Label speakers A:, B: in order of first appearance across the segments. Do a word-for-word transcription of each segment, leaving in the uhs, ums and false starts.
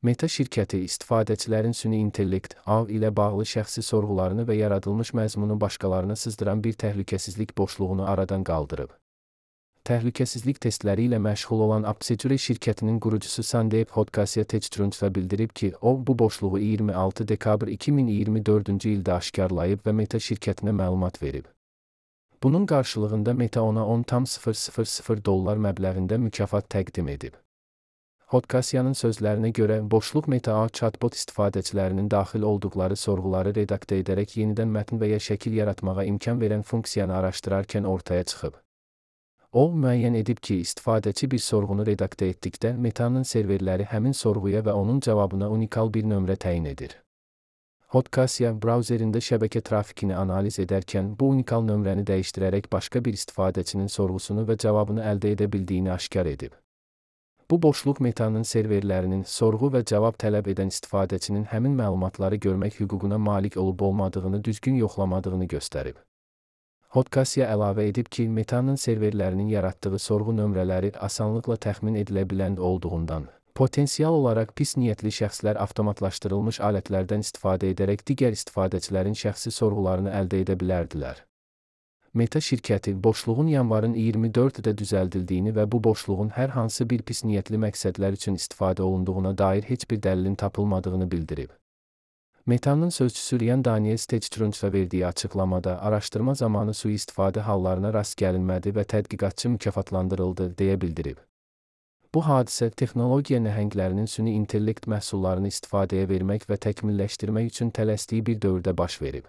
A: Meta şirkəti istifadəçilərin süni intellekt A I ilə bağlı şəxsi sorğularını və yaradılmış məzmunu başqalarına sızdıran bir təhlükəsizlik boşluğunu aradan qaldırıb. Təhlükəsizlik testləri ilə məşğul olan Apsecure şirkətinin qurucusu Sandeep Hodkasia Techtrundsa bildirib ki, o, bu boşluğu iyirmi altı dekabr iki min iyirmi dördüncü ildə aşkarlayıb və Meta şirkətinə məlumat verib. Bunun qarşılığında Meta ona on tam sıfır sıfır sıfır dollar məbləğində mükafat təqdim edib. Hodkasiyanın sözlərinə görə, boşluq Meta A I chatbot istifadəçilərinin daxil olduqları sorğuları redaktə edərək yenidən mətn və ya şəkil yaratmağa imkan verən funksiyanı araşdırarkən ortaya çıxıb. O, müəyyən edib ki, istifadəçi bir sorğunu redaktə etdikdə Meta'nın serverləri həmin sorğuya və onun cavabına unikal bir nömrə təyin edir. Hodkasia, brauzerində şəbəkə trafikini analiz edərkən bu unikal nömrəni dəyişdirərək başqa bir istifadəçinin sorğusunu və cavabını əldə edə bildiyini aşkar edib. Bu boşluq Meta'nın serverlərinin sorğu və cavab tələb edən istifadəçinin həmin məlumatları görmək hüququna malik olub-olmadığını düzgün yoxlamadığını göstərib. Hodkasia əlavə edib ki, Meta'nın serverlərinin yaratdığı sorğu nömrələri asanlıqla təxmin edilə bilən olduğundan, potensial olaraq pis niyyətli şəxslər avtomatlaşdırılmış alətlərdən istifadə edərək digər istifadəçilərin şəxsi sorğularını əldə edə bilərdilər. Meta şirkəti, boşluğun yanvarın iyirmi dördündə düzəldildiyini və bu boşluğun hər hansı bir pis niyyətli məqsədlər üçün istifadə olunduğuna dair heç bir dəlilin tapılmadığını bildirib. Meta'nın sözçüsü Ryan Daniels Techtrundsa verdiyi açıqlamada, araşdırma zamanı sui-istifadə hallarına rast gəlinmədi və tədqiqatçı mükafatlandırıldı, deyə bildirib. Bu hadisə, texnologiya nəhənglərinin süni intellekt məhsullarını istifadəyə vermək və təkmilləşdirmək üçün tələsdiyi bir dövrdə baş verib.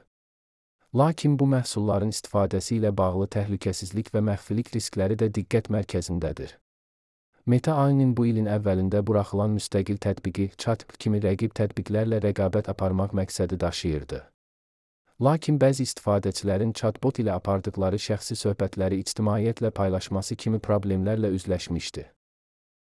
A: Lakin bu məhsulların istifadəsi ilə bağlı təhlükəsizlik və məxfilik riskləri də diqqət mərkəzindədir. Meta A I-nin bu ilin əvvəlində buraxılan müstəqil tətbiqi, ChatGPT kimi rəqib tətbiqlərlə rəqabət aparmaq məqsədi daşıyırdı. Lakin bəzi istifadəçilərin chatbot ilə apardıqları şəxsi söhbətləri ictimaiyyətlə paylaşması kimi problemlərlə üzləşmişdi.